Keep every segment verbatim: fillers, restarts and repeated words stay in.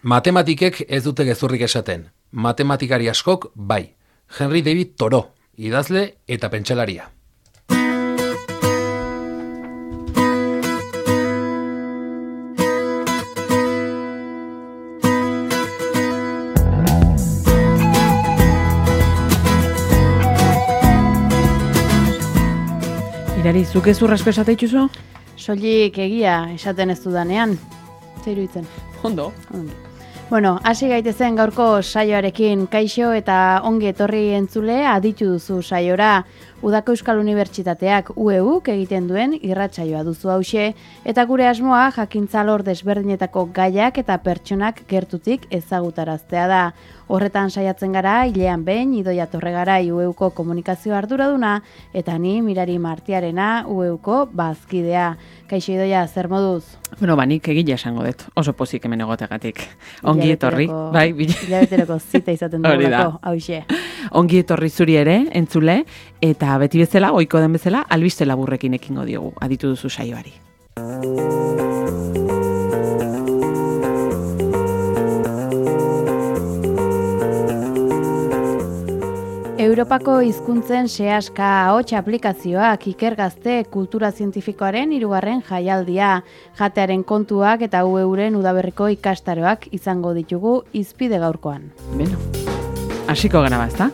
Matematikek ez dute gezurrik esaten. Matematikari askok bai. Henry David Thoreau, idazle eta pentsalaria. Irari, zuk ez urrasko esate dituzu? Soilik egia esaten ez dudanean. Zer iruditzen? Ondo. Ongi. Bueno, hasi gaitezen gaurko saioarekin. Kaixo eta ongi etorri entzule aditu duzu saiora. Udako Euskal Unibertsitateak U E Uk egiten duen irratsaioa duzu hauxe, eta gure asmoa jakintza alor desberdinetako gaiak eta pertsonak gertutik ezagutaraztea da. Horretan saiatzen gara, hilean behin, Idoia Torregarai U E Uko komunikazio arduraduna, eta ni Mirari Martiarena U E Uko bazkidea. Kaixo Idoia, zer moduz? Bueno, ba, nik egila esango dut, oso pozik hemen egotegatik. Ongi etorri, bai, hilabeteroko zita izaten dugulako, hauxe. Ongi etorri zuri ere, entzule, eta beti bezala, ohiko den bezala, albiste laburrekin ekingo diogu, aditu duzu saioari. Europako hizkuntzen sehaska ahots aplikazioak Ikergazte kultura zientifikoaren hirugarren jaialdia. Jatearen kontuak eta U E Uren udaberriko ikastaroak izango ditugu hizpide gaurkoan. Beno, hasiko gara bazta?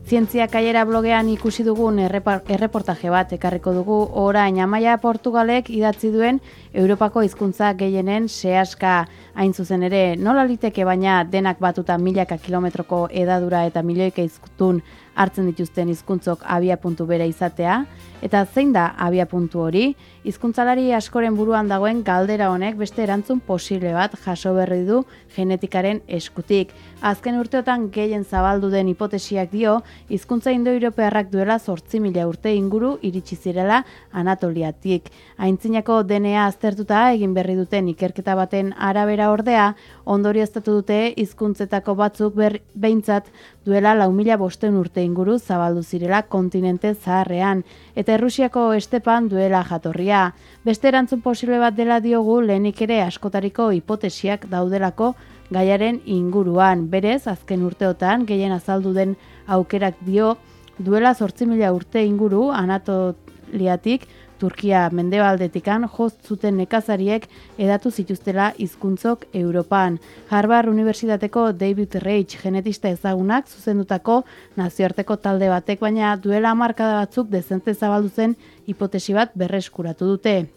Zientzia Kaiera blogean ikusi dugun erreportaje bat ekarriko dugu orain Amaia Portugalek idatzi duen Europako hizkuntza gehienen sehaska. Hain zuzen ere, nola liteke baina denak batuta milaka kilometroko edadura eta milioika hiztun hartzen dituzten hizkuntzok abiapuntu bera izatea, eta zein da abiapuntu hori? Hizkuntzalari askoren buruan dagoen galdera honek beste erantzun posible bat jaso berri du genetikaren eskutik. Azken urteotan gehien zabaldu den hipotesiak dio, hizkuntza indoeuropearrak duela zortzi mila urte inguru iritsi zirela Anatoliatik. Aintzinako D N A aztertuta egin berri duten ikerketa baten arabera ordea, ondorioztatu dute hizkuntzetako batzuk ber, behintzat duela lau mila bosteun urte inguru zabaldu zirela kontinente zaharrean, eta Errusiako estepan duela jatorria. Beste erantzun posible bat dela diogu lehenik ere askotariko hipotesiak daudelako gaiaren inguruan. Berez, azken urteotan gehien azaldu den aukerak dio duela zortzi mila urte inguru Anatoliatik Turkia mendebaldetikan joz zuten nekazariek edatu zituztela hizkuntzok Europan. Harvard Unibertsitateko David Reich genetista ezagunak zuzendutako nazioarteko talde batek baina duela hamarkada batzuk dezente zabaldu zen hipotesi bat berreskuratu dute.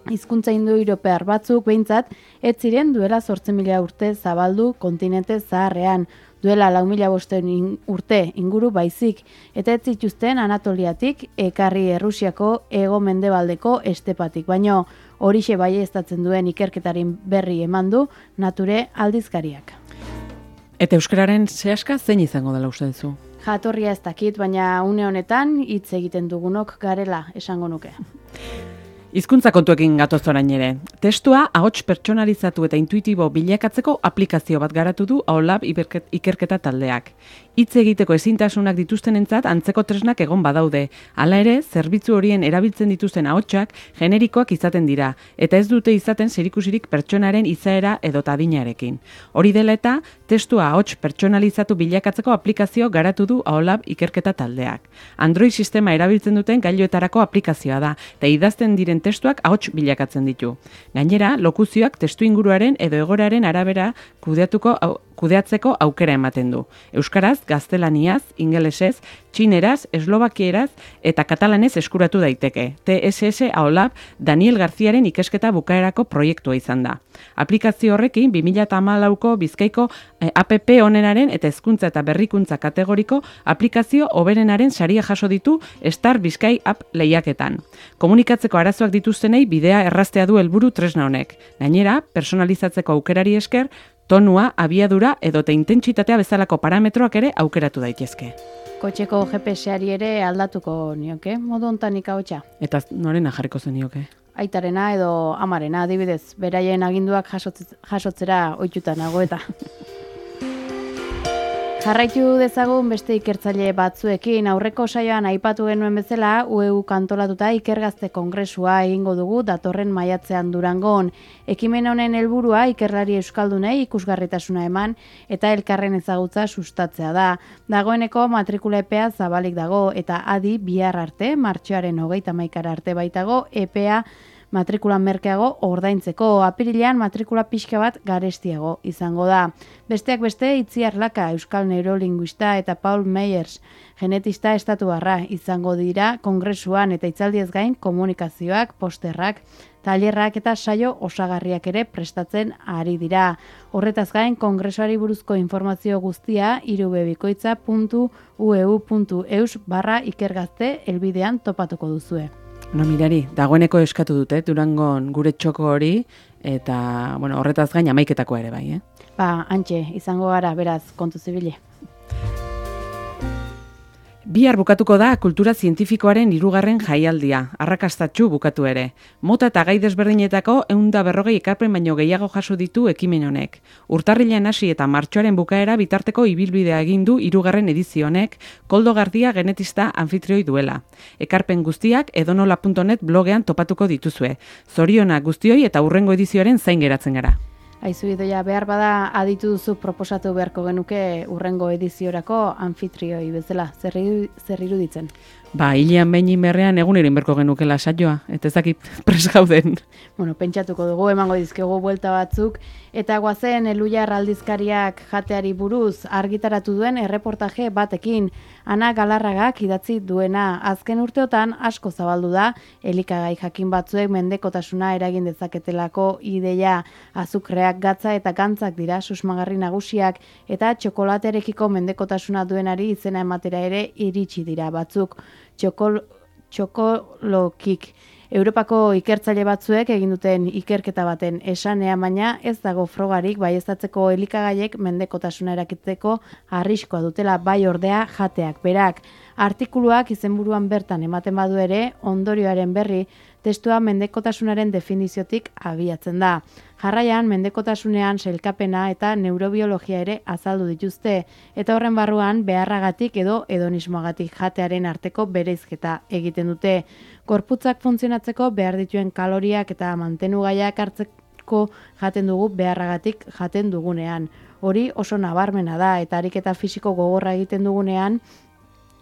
Hizkuntza indoeuropear batzuk behintzat ez ziren duela zortzi mila urte zabaldu kontinente zaharrean, duela lau mila bosteun urte inguru baizik, eta ez zituzten Anatoliatik ekarri Errusiako hego mendebaldeko estepatik, baino horixe baieztatzen duen ikerketaren berri eman du Nature aldizkariak. Eta euskararen sehaska zein izango dela uste duzu? Jatorria ez dakit, baina une honetan hitz egiten dugunok garela esango nuke. Hizkuntza kontuekin gatoz orain ere. Testua ahots pertsonalizatu eta intuitibo bilakatzeko aplikazio bat garatu du Aholab ikerketa taldeak. Hitz egiteko ezintasunak dituztenentzat antzeko tresnak egon badaude. Hala ere, zerbitzu horien erabiltzen dituzten ahotsak generikoak izaten dira, eta ez dute izaten zerikusirik pertsonaren izaera edo adinarekin. Hori dela eta, testua ahots pertsonalizatu bilakatzeko aplikazio garatu du Aholab ikerketa taldeak. Android sistema erabiltzen duten gailuetarako aplikazioa da, eta idazten diren testuak ahots bilakatzen ditu. Gainera, lokuzioak testu inguruaren edo egoeraren arabera kudeatuko au, kudeatzeko aukera ematen du. Euskaraz, gaztelaniaz, ingelesez, txineraz, eslovakieraz eta katalanez eskuratu daiteke. T S S Aholab Daniel Garziaren ikesketa bukaerako proiektua izan da. Aplikazio horrekin bi mila hamalauko Bizkaiko eh, app onenaren eta hezkuntza eta berrikuntza kategoriko aplikazio hoberenaren saria jaso ditu Star Bizkai App lehiaketan. Komunikatzeko arazoak dituztenei bidea erraztea du helburu tresna honek. Gainera, personalizatzeko aukerari esker, tonua, abiadura edota intentsitatea bezalako parametroak ere aukeratu daitezke. Kotxeko G P S-ari ere aldatuko nioke, modu hontan ikahotsa. Eta norena jarriko zenioke? Aitarena edo amarena, adibidez, beraien aginduak jasotz, jasotzera ohituta nago eta. Jarraitu dezagun beste ikertzaile batzuekin. Aurreko saioan aipatu genuen bezala, U E U kantolatuta ikergazte kongresua egingo dugu datorren maiatzean Durangon. Ekimen honen helburua ikerlari euskaldunei ikusgarritasuna eman eta elkarren ezagutza sustatzea da. Dagoeneko matrikula epea zabalik dago eta adi bihar arte, martxoaren hogeita hamaikara arte baitago epea matrikula merkeago ordaintzeko. Apirilean matrikula pixka bat garestiago izango da. Besteak beste, Itziar Laka, euskal neurolinguista eta Paul Meyers, genetista estatuarra izango dira kongresuan eta hitzaldiez gain komunikazioak, posterrak, tailerrak eta saio osagarriak ere prestatzen ari dira. Horretaz gain, kongresuari buruzko informazio guztia irubebikoitza puntu u e u puntu eus barra ikergazte helbidean topatuko duzue. No, mirari, dagoeneko eskatu dute, Durangon gure txoko hori, eta, bueno, horretaz gain amaiketakoa ere bai, eh? Ba, antxe, izango gara, beraz, kontu zibile. Bihar bukatuko da kultura zientifikoaren hirugarren jaialdia, arrakastatsu bukatu ere. Mota eta gai desberdinetako ehun eta berrogei ekarpen baino gehiago jaso ditu ekimen honek. Urtarrilean hasi eta martxoaren bukaera bitarteko ibilbidea egin du hirugarren edizio honek, Koldo Gardia genetista anfitrioi duela. Ekarpen guztiak edonola puntu net blogean topatuko dituzue. Zorionak guztioi eta hurrengo edizioaren zain geratzen gara. Aizu idoia, behar bada aditu duzu proposatu beharko genuke urrengo ediziorako anfitrioi bezala, zer iruditzen? Ba, hilean behin inberrean egunero inberko genukela saioa, eta ez dakit pres gauden. Bueno, pentsatuko dugu, emango dizkegu buelta batzuk, eta guazen Elujar aldizkariak jateari buruz argitaratu duen erreportaje batekin, Ana Galarragak idatzi duena. Azken urteotan asko zabaldu da, elikagai jakin batzuek mendekotasuna eragin dezaketelako ideia, azukreak, gatza eta gantzak dira susmagarri nagusiak, eta txokolaterekiko mendekotasuna duenari izena ematera ere iritsi dira batzuk. Txokol, txokolokik. Europako ikertzaile batzuek egin duten ikerketa baten esanea, baina ez dago frogarik baieztatzeko elikagaiek mendekotasuna erakitzeko arriskoa dutela, bai ordea jateak berak. Artikuluak izenburuan bertan ematen badu ere, ondorioaren berri, testua mendekotasunaren definiziotik abiatzen da. Jarraian, mendekotasunean sailkapena eta neurobiologia ere azaldu dituzte, eta horren barruan beharragatik edo hedonismoagatik jatearen arteko bereizketa egiten dute. Gorputzak funtzionatzeko behar dituen kaloriak eta mantenugaiak hartzeko jaten dugu beharragatik jaten dugunean. Hori oso nabarmena da, eta ariketa fisiko gogorra egiten dugunean,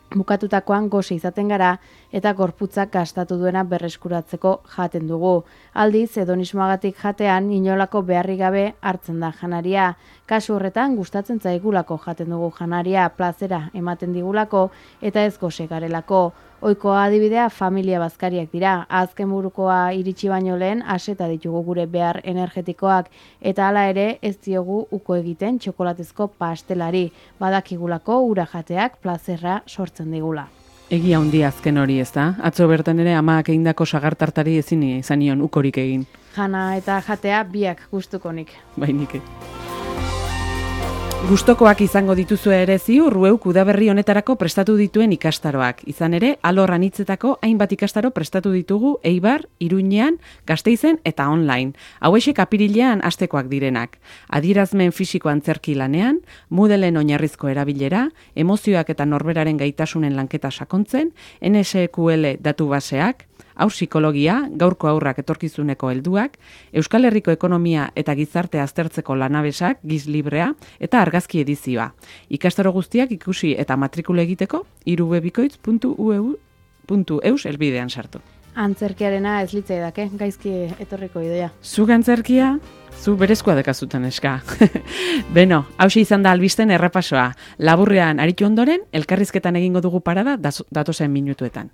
bukatutakoan gose izaten gara eta gorputzak gastatu duena berreskuratzeko jaten dugu. Aldiz, hedonismoagatik jatean inolako beharrik gabe hartzen da janaria. Kasu horretan gustatzen zaigulako jaten dugu janaria, plazera ematen digulako eta ez gose garelako. Ohikoa adibidea familia bazkariak dira. Azken burukoa iritsi baino lehen aseta ditugu gure behar energetikoak eta hala ere ez diogu uko egiten txokolatezko pastelari. Badakigulako ura jateak plazerra sortzen digula. Egia handi azken hori, ez da? Atzo bertan ere amak egindako sagartartari ezin izan nion ukorik egin. Jana eta jatea biak gustukonik. Bainik. Gustokoak izango dituzue ere ziur U E U udaberri honetarako prestatu dituen ikastaroak. Izan ere, alor anitzetako hainbat ikastaro prestatu ditugu Eibar, Iruñean, Gasteizen eta online. Hauexek apirilean hastekoak direnak. Adierazmen fisiko antzerki lanean, Moodleen oinarrizko erabilera, emozioak eta norberaren gaitasunen lanketa sakontzen, N S Q L datu baseak, haur psikologia, gaurko haurrak etorkizuneko helduak, Euskal Herriko ekonomia eta gizartea aztertzeko lanabesak, giz librea eta argazki edizioa. Ikastaro guztiak ikusi eta matrikula egiteko irubebikoitz puntu u e u puntu eus elbidean sartu. Antzerkiarena ez litzai dake, gaizki etorriko idoia. Zuk antzerkia, zu berezkoa dekazutan eska. Beno, hauxe izan da albisten errepasoa. Laburrean aritu ondoren, elkarrizketan egingo dugu parada datozen minutuetan.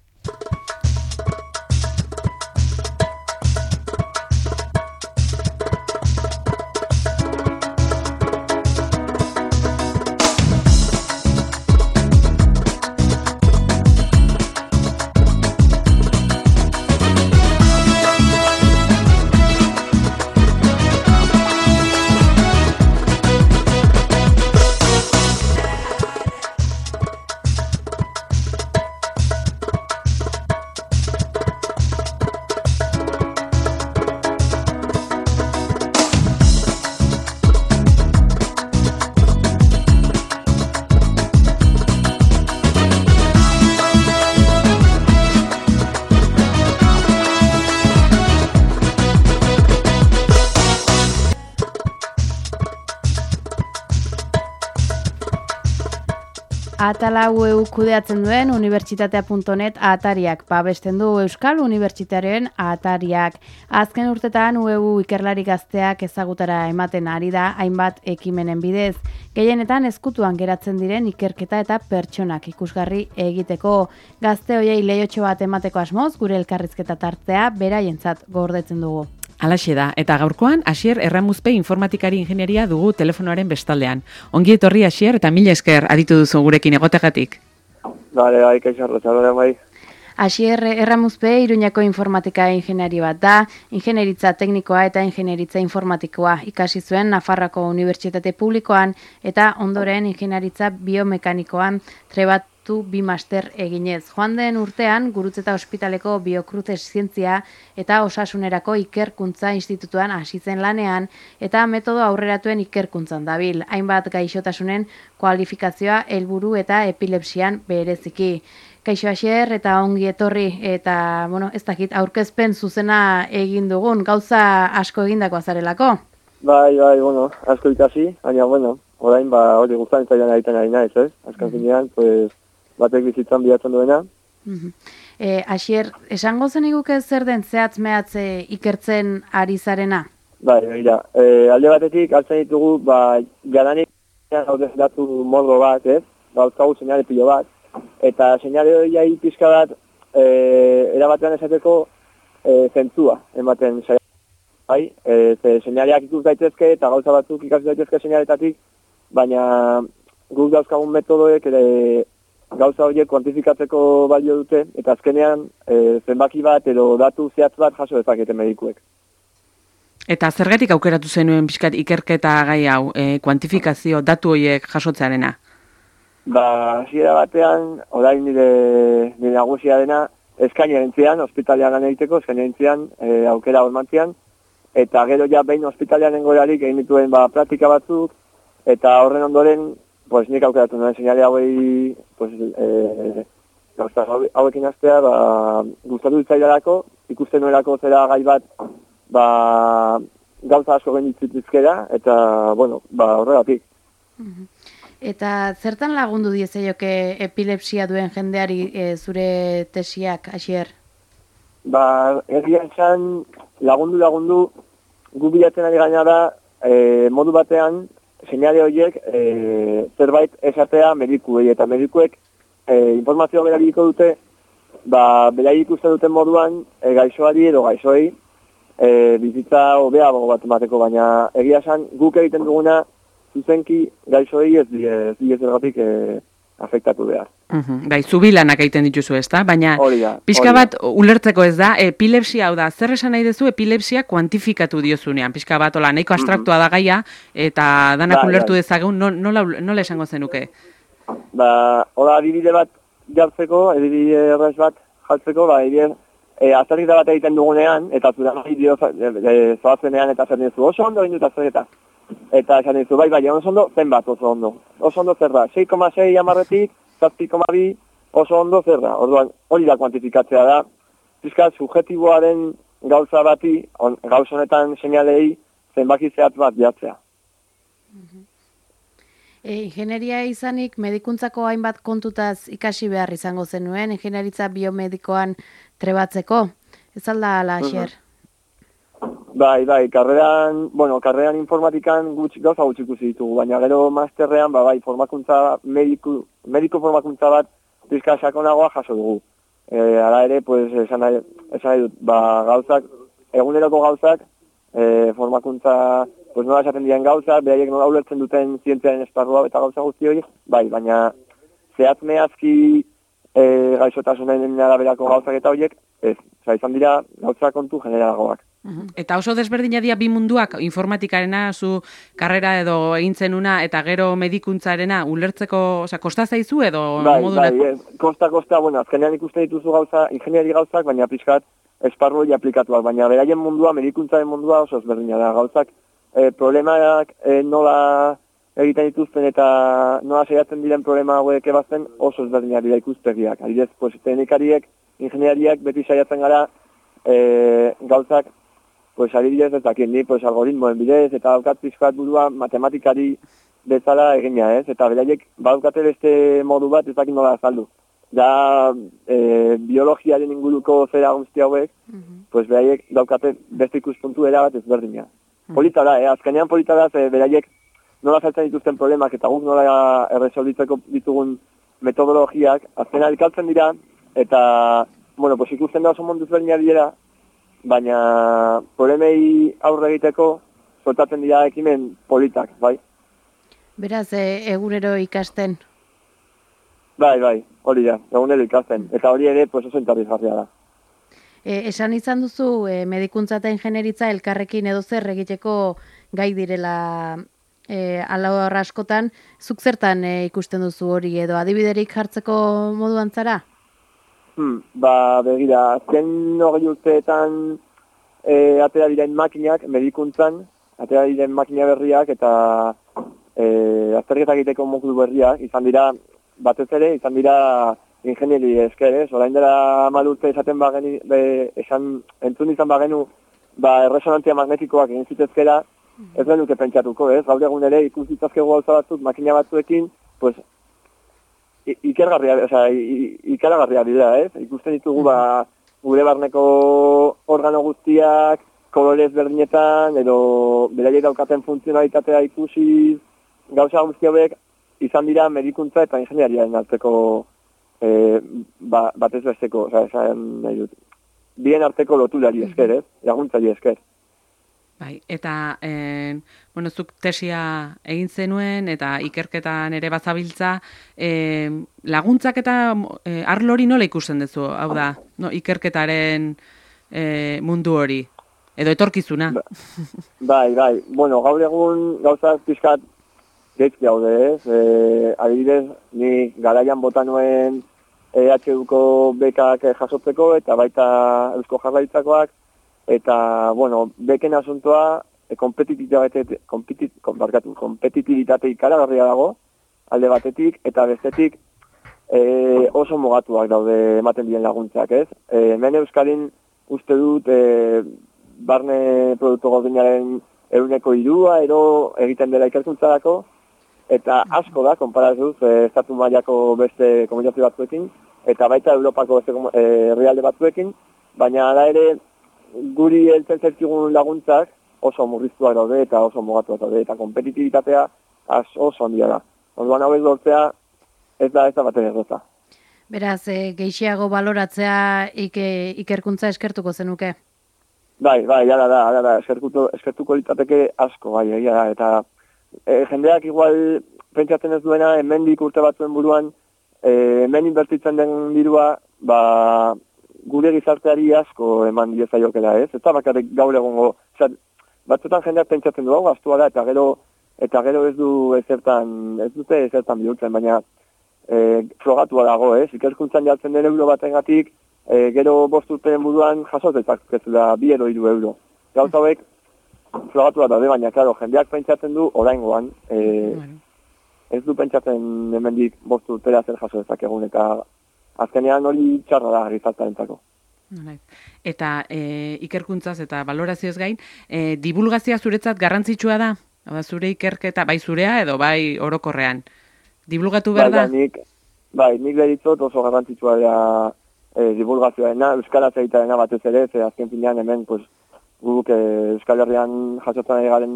Atala U E U kudeatzen duen unibertsitatea puntu net atariak babesten du Euskal Unibertsitatearen atariak. Azken urtetan U E U ikerlari gazteak ezagutara ematen ari da hainbat ekimenen bidez. Gehienetan ezkutuan geratzen diren ikerketa eta pertsonak ikusgarri egiteko. Gazte hoiei leiotxo bat emateko asmoz gure elkarrizketa tartea beraientzat gordetzen dugu. Alaxe da, eta gaurkoan Asier Erramuzpe informatikari ingenieria dugu telefonoaren bestaldean. Ongi etorri Asier eta mila esker aditu duzu gurekin egotegatik. Bale, bai, kaixarro, txalore, bai. Asier Erramuzpe Iruñako informatika ingeniari bat da, ingenieritza teknikoa eta ingenieritza informatikoa ikasi zuen Nafarroako Unibertsitate Publikoan eta ondoren ingenieritza biomekanikoan trebat bi master eginez. Joan den urtean, Gurutzeta Ospitaleko Biokrutez Zientzia eta Osasunerako Ikerkuntza Institutuan hasi zen lanean eta metodo aurreratuen ikerkuntzan dabil. Hainbat gaixotasunen kualifikazioa helburu eta epilepsian bereziki. Kaixo Asier eta ongi etorri eta, bueno, ez dakit aurkezpen zuzena egin dugun, gauza asko egindakoa zarelako? Bai, bai, bueno, asko ikasi, baina, bueno, orain, ba, hori guztan zailan egiten ari naiz, ez? Azkan zinean, pues, batek bizitzan bilatzen duena. Uh-huh. E, Asier, esango zen iguke zer den zehatz mehatze ikertzen ari zarena? Bai, bai, e, alde batetik altzen ditugu, ba, jadanik datu mordo bat, ez? Ba, uzkagu seinale pilo bat, eta seinale hori jai pizka bat, e, erabatean esateko e, zentzua, ematen saia. Bai, e, ze seinaleak ikus daitezke, eta gauza batzuk ikasi daitezke seinaletatik, baina guk dauzkagun metodoek ere gauza horiek kuantifikatzeko balio dute, eta azkenean e, zenbaki bat edo datu zehatz bat jaso dezakete medikuek. Eta zergatik aukeratu zenuen pixkat ikerketa gai hau, e, kuantifikazio datu horiek jasotzearena? Ba, hasiera batean, orain nire, nire nagusia dena, eskaini egintzean, ospitalean lan egiteko, eskaini egintzean, e, aukera hormantzean, eta gero ja behin ospitalean engorarik egin dituen ba, praktika batzuk, eta horren ondoren, pues nik aukeratu nuen seinale hauei, pues, e, gauza hauekin astea, ba, gustatu ditzaidarako, ikusten nuelako zera gai bat, ba, gauza asko genditzitizkera, eta, bueno, ba, horregatik. Uh-huh. Eta zertan lagundu diezaioke epilepsia duen jendeari e, zure tesiak, Asier? Ba, egia esan, lagundu lagundu, gu bilatzen ari gaina da, e, modu batean, seinale horiek e, zerbait esatea medikuei, eta medikuek e, informazioa berabiliko dute, ba, beraiek ikusten duten moduan e, gaixoari edo gaixoei e, bizitza hobeago bat emateko, baina egia esan guk egiten duguna zuzenki gaixoei ez die, ez die zergatik e, afektatu behar. Uhum. Bai, zubilanak egiten dituzu, ezta? Baina pixka bat ulertzeko ez da, epilepsia hau da, zer esan nahi dezu epilepsia kuantifikatu diozunean, pixka bat, ola, nahiko abstraktua da gaia, eta danak ba, ulertu dezagun, nola, nola esango zenuke? Ba, hola, adibide bat jartzeko, adibide errez bat jartzeko, ba, adibide, e, azterketa bat egiten dugunean, eta zura nahi dio zoazenean, eta zer nizu, oso ondo egin dut azterketa. Eta esan dizu, bai, bai, oso ondo, zenbat oso ondo. Oso ondo zer da, sei koma sei amarretik, zazpi koma bi, oso ondo zer da. Orduan, hori da kuantifikatzea da. Pizkat, subjetiboa den gauza bati, on, gauz honetan seinalei, zenbaki zehatz bat jartzea. Uh-huh. E, ingenieria izanik, medikuntzako hainbat kontutaz ikasi behar izango zenuen, ingenieritza biomedikoan trebatzeko. Ez alda, ala, Asier? Uh-huh. Bai, bai, karreran, bueno, karreran informatikan gutxi, gauza gutxi ikusi ditugu, baina gero masterrean, ba, bai, formakuntza, mediku, mediku formakuntza bat pizka sakonagoa jaso dugu. E, ara ere, pues, esan nahi, esan nahi dut, ba, gauzak, eguneroko gauzak, e, formakuntza, pues, nola esaten diren gauzak, beraiek nola ulertzen duten zientziaren esparrua eta gauza guzti hori, bai, baina zehatz mehazki e, gaixotasunen araberako gauzak eta horiek, ez, oza, izan dira gauza kontu generalagoak. Eta oso desberdina dira bi munduak, informatikarena, zu karrera edo egintzen una, eta gero medikuntzarena, ulertzeko, oza, kosta zaizu edo bai, moduna? Bai, kosta, kosta, bueno, azkenean ikusten dituzu gauza, ingeniari gauzak, baina pixkat esparru hori aplikatuak, baina beraien mundua, medikuntzaren mundua oso ezberdina da, gauzak, e, problemaak e, nola egiten dituzten eta nola saiatzen diren problema hauek ebazten oso ezberdina dira ikuspegiak. Adibidez, pues, teknikariek, ingeniariak beti saiatzen gara e, gauzak, pues adibidez ez dakit ni, pues algoritmoen bidez, eta daukat pizkat burua matematikari bezala egina, ez? Eta beraiek badukate beste modu bat ez dakit nola azaldu. Da, e, biologiaren inguruko zera guzti hauek, mm-hmm. pues beraiek daukate beste ikuspuntu erabat ezberdina. Mm-hmm. Polita da, eh? Azkenean polita da, ze beraiek nola saltzen dituzten problemak eta guk nola erresolditzeko ditugun metodologiak, azkenean elkartzen dira, eta, bueno, pues ikusten da oso mundu ezberdinak dira, baina problemei aurre egiteko sortatzen dira ekimen politak, bai? Beraz, e, egunero ikasten? Bai, bai, hori da, egunero ikasten. Eta hori ere, pues oso interesgarria da. E, esan izan duzu, e, medikuntza eta ingenieritza elkarrekin edo zer egiteko gai direla e, alahor askotan, zuk zertan e, ikusten duzu hori edo adibiderik jartzeko moduan zara? Hmm, ba, begira, azken hori urteetan e, atera diren makinak, medikuntzan, atera diren makina berriak eta e, azterketak egiteko modu berriak, izan dira, batez ere, izan dira ingenieri esker, ez? Orain dela hamar urte esaten bageni, be, esan, entzun izan bagenu, ba, erresonantzia magnetikoak egin zitezkera, ez genuke pentsatuko, ez? Gaur egun ere ikus ditzazkegu gauza batzuk, makina batzuekin, pues, ikergarria, osea, ikaragarria dira, ez? Ikusten ditugu, ba, gure barneko organo guztiak, kolorez berdinetan, edo beraiek daukaten funtzionalitatea ikusi, gauza guzti hauek, izan dira medikuntza eta ingeniariaren arteko e, ba, batez besteko, osea, esan nahi dut. Bien arteko lotulari esker, ez? Laguntzari esker. Bai, eta, eh, bueno, zuk tesia egin zenuen eta ikerketan ere bazabiltza, eh, laguntzak eta eh, arlori nola ikusten duzu, hau da, no, ikerketaren eh, mundu hori, edo etorkizuna. Ba, bai, bai, bueno, gaur egun gauzak pixkat geizki haude, ez? E, adibidez, ni garaian bota nuen E H Uko bekak jasotzeko eta baita Eusko Jaurlaritzakoak, eta, bueno, beken asuntoa e, kompetitibitate, kompetit, kompetitibitate ikaragarria dago, alde batetik, eta bestetik e, oso mugatuak daude ematen diren laguntzak, ez? E, hemen Euskadin uste dut e, barne produktu gordinaren ehuneko hirua ero egiten dela ikerkuntzarako, eta asko da, konparatuz, e, estatu mailako beste komunizazio batzuekin, eta baita Europako beste herrialde e, batzuekin, baina da ere guri heltzen zertigun laguntzak oso murriztuak daude eta oso mugatuak daude, eta kompetitibitatea oso handia da. Orduan hauek lortzea ez da ez da baten errota. Beraz, e, geixiago baloratzea ike, ikerkuntza eskertuko zenuke? Bai, bai, jara da, jara da, eskertuko, eskertuko litzateke asko, bai, egia da, eta E, jendeak igual pentsatzen ez duena, hemendik urte batzuen buruan, e, hemen inbertitzen den dirua, ba, gure gizarteari asko eman diezaiokela, ez? Eta bakarrik gaur egongo, osea, batzutan jendeak pentsatzen du, hau gastua da, eta gero, eta gero ez du ezertan, ez dute ezertan bihurtzen, baina e, frogatua dago, ez? Ikerkuntzan jartzen den euro batengatik, e, gero bost urteen buruan jasotetak kezula bi edo hiru euro. Gauza hauek, flogatua daude, baina, klaro, jendeak pentsatzen du oraingoan, e, bueno. Ez du pentsatzen hemendik bost urtera zer jaso dezakegun, eta azkenean hori txarra da gizartearentzako. Eta e, ikerkuntzaz eta balorazioz gain, e, divulgazioa zuretzat garrantzitsua da? Oda, zure ikerketa, bai zurea edo bai orokorrean? Divulgatu behar da? Bai, nik, bai, nik deritzot oso garrantzitsua da e, divulgazioarena, euskaraz egitearena batez ere, ze azken finean hemen, pues, guk Euskal Herrian jasotzen ari garen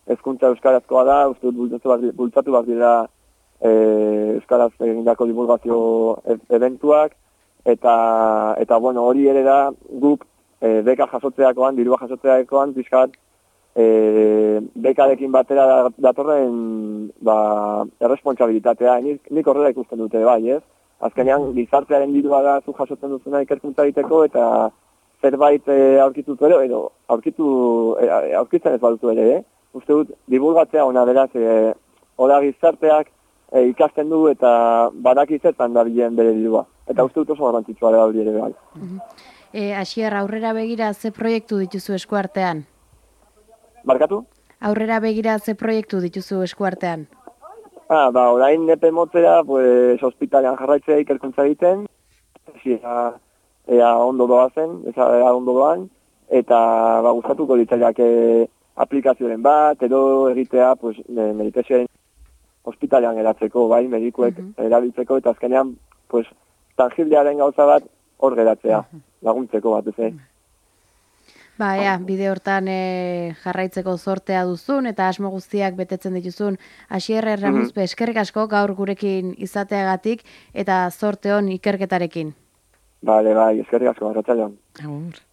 hezkuntza euskarazkoa da, uste dut bultzatu bat dira e, euskaraz egindako divulgazio eventuak, eta, eta bueno, hori ere da guk e, beka jasotzeakoan, dirua jasotzeakoan, pixkat e, bekarekin batera datorren ba, erresponsabilitatea, nik, nik horrela ikusten dute bai, ez? Azkenean gizartearen dirua da zu jasotzen duzuna ikerkuntza egiteko, eta zerbait e, aurkitutu ere, edo aurkitu, e, aurkitzen ez badutu ere, eh? Uste dut, divulgatzea ona beraz, e, oda gizarteak e, ikasten du eta badakizetan da bilen bere dirua. Eta uste dut oso garrantzitsua da hori ere bai. E, Asier, aurrera begira ze proiektu dituzu eskuartean? Barkatu? Aurrera begira ze proiektu dituzu eskuartean? Ah, ba, orain epe motzera, pues, hospitalean jarraitzea ikerkuntza egiten, ea, ea ondo doazen, ea ondo doan, eta ba, gustatuko ditzaiak aplikazioaren bat, edo egitea, pues, meditazioaren ospitalean geratzeko, bai, medikuek erabiltzeko, eta azkenean, pues, tangiblearen gauza bat hor geratzea, laguntzeko bat, ez. Ba, ea, bide hortan e, jarraitzeko zortea duzun eta asmo guztiak betetzen dituzun. Asier Erramuzpe, eskerrik asko gaur gurekin izateagatik eta zorte hon ikerketarekin. Bale, bai, eskerrik asko, arratzailean. Agur.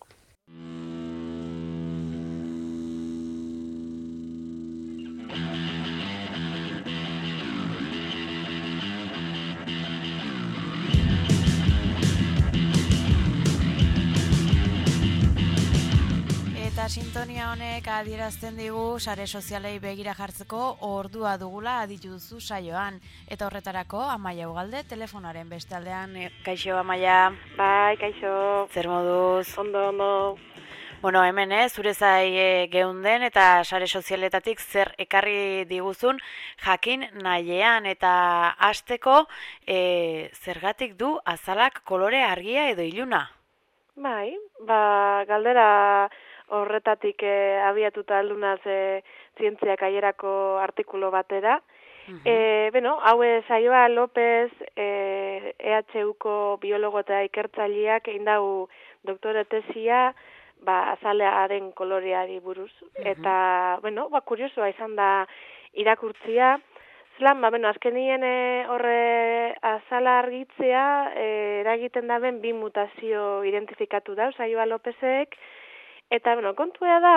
Eta sintonia honek adierazten digu sare sozialei begira jartzeko ordua dugula aditu duzu saioan. Eta horretarako Amaia Ugalde telefonaren bestaldean. Kaixo Amaia. Bai, kaixo. Zer moduz? Ondo, ondo. Bueno, hemen ez, zure zai e, geunden eta sare sozialetatik zer ekarri diguzun jakin nahiean eta hasteko e, zergatik du azalak kolore argia edo iluna? Bai, ba, galdera horretatik e, abiatuta aldunaz e, zientziak aierako artikulu batera. Uh-huh. E, bueno, hau saioa López e, E H Uko biologo eta ikertzaileak egin dau doktore tesia ba, azalearen koloreari buruz. Uh-huh. Eta, bueno, ba, kuriosoa izan da irakurtzia. Zelan, ba, bueno, azkenien e, horre azala argitzea e, eragiten daben bi mutazio identifikatu dau saioa Lópezek. Eta, bueno, kontua da,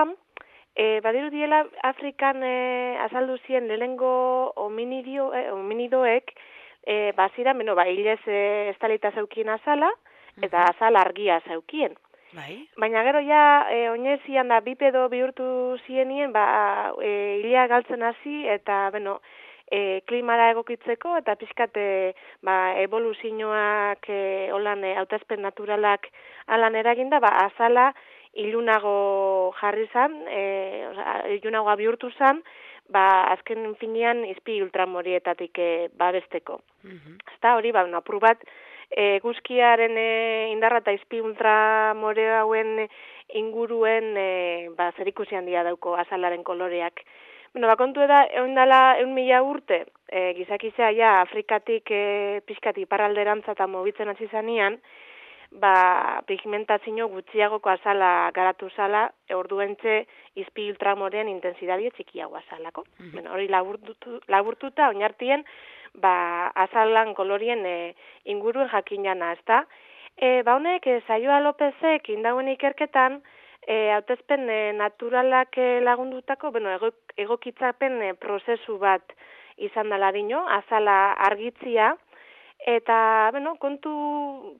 e, badiru diela Afrikan e, azaldu zien lehengo hominidio, e, hominidoek, e, bazira, bueno, ba, hilez e, estalita zeukien azala, eta azala argia zeukien. Bai. Baina gero ja, e, oinezian da, bipedo bihurtu zienien, ba, e, hilea galtzen hasi, eta, bueno, e, klimara egokitzeko, eta pixkate, ba, evoluzioak, e, holan, e, hautespen naturalak alan eraginda, ba, azala, ilunago jarri zan, e, ilunagoa bihurtu zan, ba, azken finean izpi ultramorietatik e, babesteko. Uh-huh. Eta hori, ba, apur bat, e, guzkiaren e, indarra eta izpi ultramore hauen inguruen e, ba, zerikusi handia dauko azalaren koloreak. Bueno, ba, kontu eda, egun dela, egun mila urte, e, gizakizea ja Afrikatik e, pixkati iparralderantza eta mobitzen hasi zanean, ba, pigmentazio gutxiagoko azala garatu zala, orduentze izpi ultramorean intensidadie txikiago azalako. Mm-hmm. Bueno, hori laburtuta, laburtuta oinartien, ba, azalan kolorien e, inguruen jakinana, ezta? E, ba, honek, e, saioa Lópezek indauen ikerketan, e, hautespen e, naturalak e, lagundutako, bueno, ego, egokitzapen e, prozesu bat izan dela dino, azala argitzia. Eta, bueno, kontu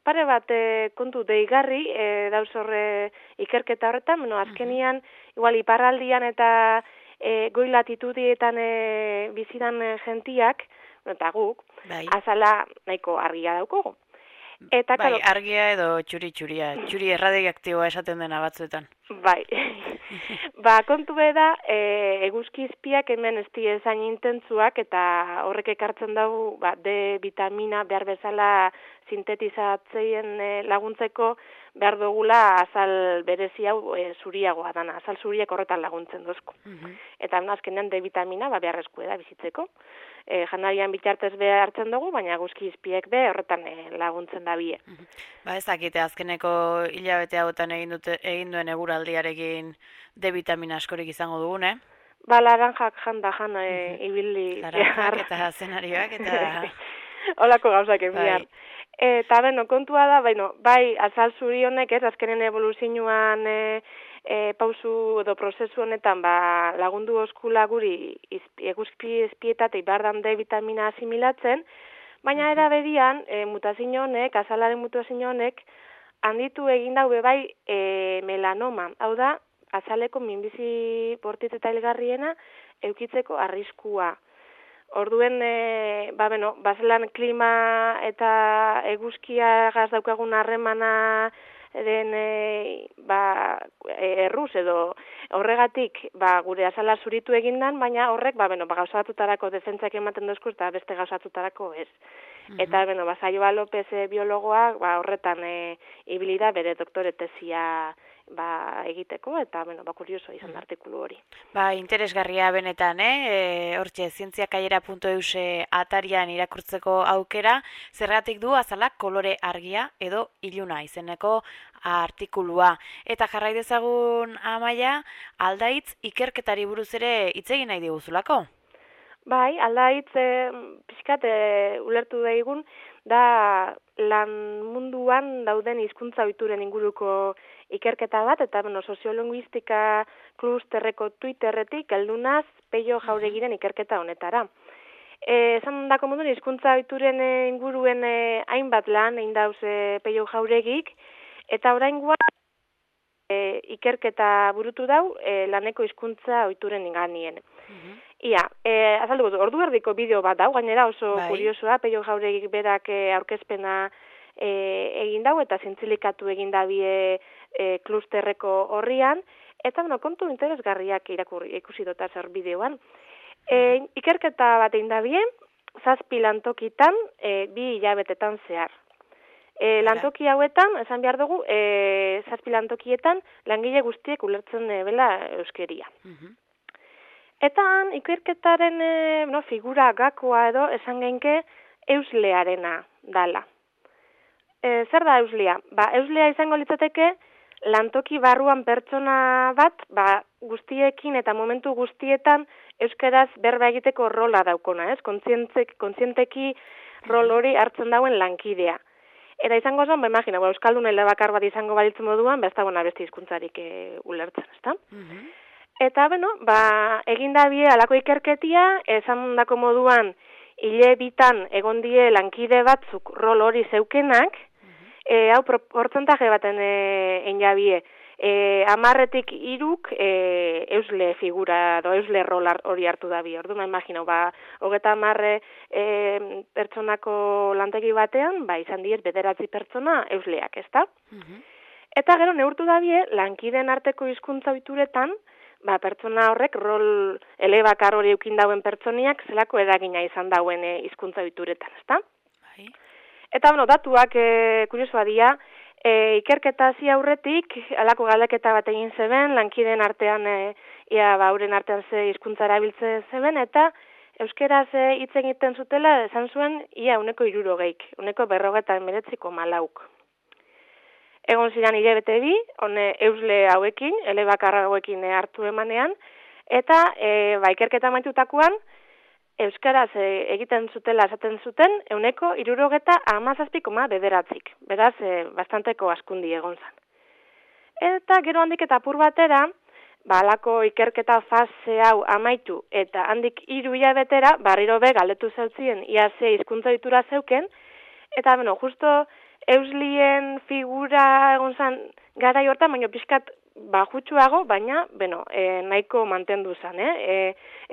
pare bat e, kontu deigarri e, dauz horre ikerketa horretan, bueno, azkenian, igual iparraldian eta e, goi latitudietan e, bizidan e, gentiak, bueno, eta guk, bai, azala nahiko argia daukogu. Eta, bai, karo, argia edo txuri-txuria, txuri erradioaktiboa esaten dena batzuetan. Bai, ba, kontu beda, e, eguzki izpiak hemen ez diezain intentzuak eta horrek ekartzen dugu ba, D vitamina behar bezala sintetizatzeien e, laguntzeko behar dugula azal berezi hau e, zuriagoa dana, azal zuriak horretan laguntzen dozku. Uh-huh. Eta azkenean D vitamina ba, beharrezko da bizitzeko. E, janarian bitartez be hartzen dugu, baina guzki izpiek be horretan e, laguntzen da bie. Uh-huh. Ba ez dakite, azkeneko hilabete hauetan egin, dute, egin duen eguraldiarekin D vitamina askorik izango dugun, eh? Ba, laranjak janda jan e, uh-huh. ibili. Laranjak eta zenarioak eta... Olako gauzak emian. Eta, beno, kontua da, beno, bai, azal zuri honek, ez, azkenen evoluzioan e, e, pausu edo prozesu honetan, ba, lagundu oskula guri eguzki izpietatik bardan D vitamina asimilatzen, baina era berian, e, mutazio honek, azalaren mutazio honek, handitu egin daube bai e, melanoma. Hau da, azaleko minbizi bortitz eta hilgarriena eukitzeko arriskua. Orduen, e, ba, beno, bazelan klima eta eguzkia gaz daukagun harremana den e, ba, erruz edo horregatik ba, gure azala zuritu egindan, baina horrek ba, beno, ba, gauzatutarako defentzak ematen dozku eta beste gauzatutarako ez. Uh-huh. Eta, beno, ba, Saioa López e, biologoak ba, horretan e, ibilida bere doktore tesia ba, egiteko, eta, bueno, ba, kurioso izan da artikulu hori. Ba, interesgarria benetan, eh? E, hortxe, zientziakaiera puntu eus atarian irakurtzeko aukera, zergatik du azalak kolore argia edo iluna izeneko artikulua. Eta jarrai dezagun Amaia, aldaitz ikerketari buruz ere hitz egin nahi diguzulako? Bai, aldaitz e, pixkat e, ulertu daigun, da lan munduan dauden hizkuntza ohituren inguruko ikerketa bat, eta bueno, soziolinguistika klusterreko Twitterretik heldunaz Peio Jauregiren ikerketa honetara. E, esan dako moduen hizkuntza ohituren inguruen e, hainbat lan egin dauz e, Peio Jauregik, eta oraingoan e, ikerketa burutu dau e, laneko hizkuntza ohituren inganien. Uh-huh. Ia, e, azaldu, ordu erdiko bideo bat dau, gainera oso bai. Kuriosoa, Peio Jauregik berak e, aurkezpena e, egin dau, eta zintzilikatu egin dabie e, klusterreko horrian, eta bueno, kontu interesgarriak irakurri ikusi dota zer bideoan. E, ikerketa bat egin dabie, zazpi lantokitan, e, bi hilabetetan zehar. E, lantoki hauetan, esan behar dugu, e, zazpi lantokietan langile guztiek ulertzen e, bela euskeria. Uh-huh. Eta ikerketaren e, no, figura gakoa edo esan genke euslearena dala. E, zer da euslea? Ba, euslea izango litzateke lantoki barruan pertsona bat, ba, guztiekin eta momentu guztietan euskaraz berba egiteko rola daukona, ez? Kontzienteki rol hori hartzen dauen lankidea. Eta izango zen, ba, imagina, ba, euskaldun elebakar bat izango balitzen moduan, ba, ez dagoena beste hizkuntzarik e, ulertzen, ezta? Uh-huh. Eta, bueno, ba, egindabie alako ikerketia, esan dako moduan, hile bitan egon die lankide batzuk rol hori zeukenak, uh-huh. e, hau portzentaje baten e, einjabie, e, amarretik iruk e, eusle figura, do eusle rol hori hartu dabi. Orduan, imaginau, ba, hogeta amarre e, pertsonako lantegi batean, ba, izan diet bederatzi pertsona eusleak, ezta? Uh-huh. Eta gero, neurtu dabie, lankideen arteko hizkuntza ohituretan, ba, pertsona horrek rol elebakar hori eukin dauen pertsoniak zelako eragina izan dauen hizkuntza ohituretan, ezta? Bai. Eta, bueno, datuak e, kuriosoa dira, e, ikerketa hasi aurretik, halako galdeketa bat egin zeben, lankideen artean, e, ia, ba, euren artean ze hizkuntza erabiltzen zeben, eta euskeraz hitz egiten zutela, esan zuen, ia, uneko hirurogeik, uneko berrogeta hemeretziko malauk. Egon ziren hilabete bi, hone eusle hauekin, elebakar hauekin hartu emanean, eta e, ba, ikerketa maitutakoan, euskaraz e, egiten zutela esaten zuten, euneko hirurogeta hamazazpi koma bederatzik. Beraz, e, bastanteko askundi egon zen. Eta gero handik eta apur batera, ba, alako ikerketa fase hau amaitu, eta handik hiru hilabetera, barriro be galdetu zeutzien, ia ze hizkuntza ohitura zeuken, eta, bueno, justo euslien figura egon zen garai hortan, baina pixkat bajutsuago, baina, bueno, e, nahiko mantendu zen, eh? E,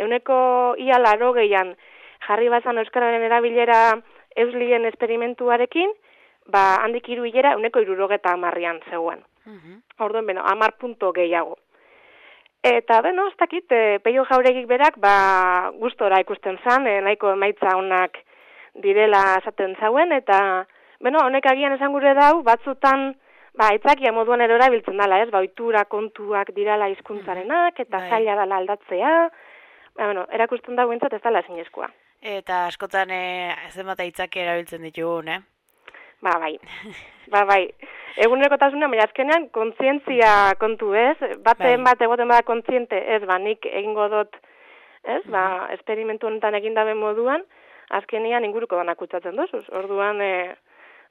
euneko ia larogeian jarri bazan euskararen erabilera euslien esperimentuarekin, ba, handik hiru hilera euneko hirurogeta hamarrian zegoen. Uh-huh. Orduan, beno, hamar punto gehiago. Eta, beno, ez dakit, e, Peio Jauregik berak, ba, gustora ikusten zen, e, nahiko emaitza honak direla esaten zauen, eta beno, honek agian esan gure dau, batzutan, ba, itzakia moduan ero erabiltzen dela, ez, ba, ohitura kontuak dirala hizkuntzarenak, eta bai. Zaila dela aldatzea, ba, bueno, erakusten dago entzat ez dela zinezkoa. Eta askotan e, zenbat itzakia erabiltzen ditugun, eh? Ba, bai, ba, bai. Egunerokotasunean, baina azkenean, kontzientzia kontu, ez? Baten bai. Bat egoten bada kontziente, ez, ba, nik egingo dut, ez, ba, esperimentu honetan egindabe moduan, azkenean inguruko danak kutsatzen dozuz. Orduan, e,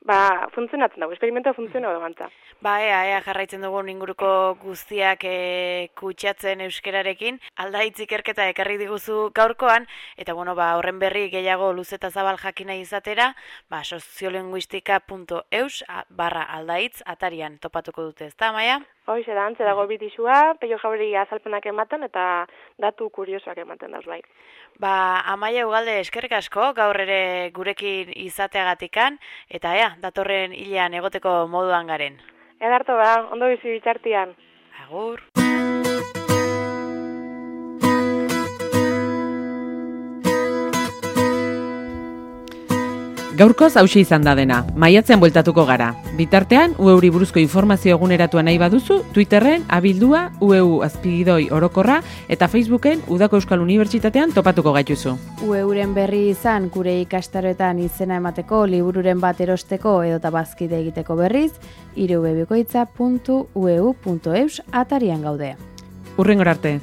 ba, funtzionatzen dago, esperimentua funtzionau gantza. Ba, ea, ea, jarraitzen dugun inguruko guztiak e, kutsatzen euskerarekin, aldaitz ikerketa ekarri diguzu gaurkoan, eta bueno, ba, horren berri gehiago luzeta zabal jakina izatera, ba, soziolinguistika puntu eus barra aldaitz atarian topatuko dute, ez da, Amaia? Hoize da, antze dago bitisua, Peio Jauregi azalpenak ematen eta datu kuriosoak ematen dauz bai. Ba, Amaia Ugalde eskerrik asko, gaur ere gurekin izateagatikan, eta ea, datorren hilean egoteko moduan garen. Edarto ba, ondo bizi bitxartian. Agur. Gaurkoz hauxe izan da dena, maiatzean bueltatuko gara. Bitartean, U E-uri buruzko informazio eguneratua nahi baduzu, Twitterren abildua U E U azpigidoi orokorra eta Facebooken Udako Euskal Unibertsitatean topatuko gaituzu. U E Uren berri izan gure ikastaroetan izena emateko, libururen bat erosteko edota bazkide egiteko berriz, irubebikoitza puntu u e u puntu eus atarian gaude. Hurrengora arte.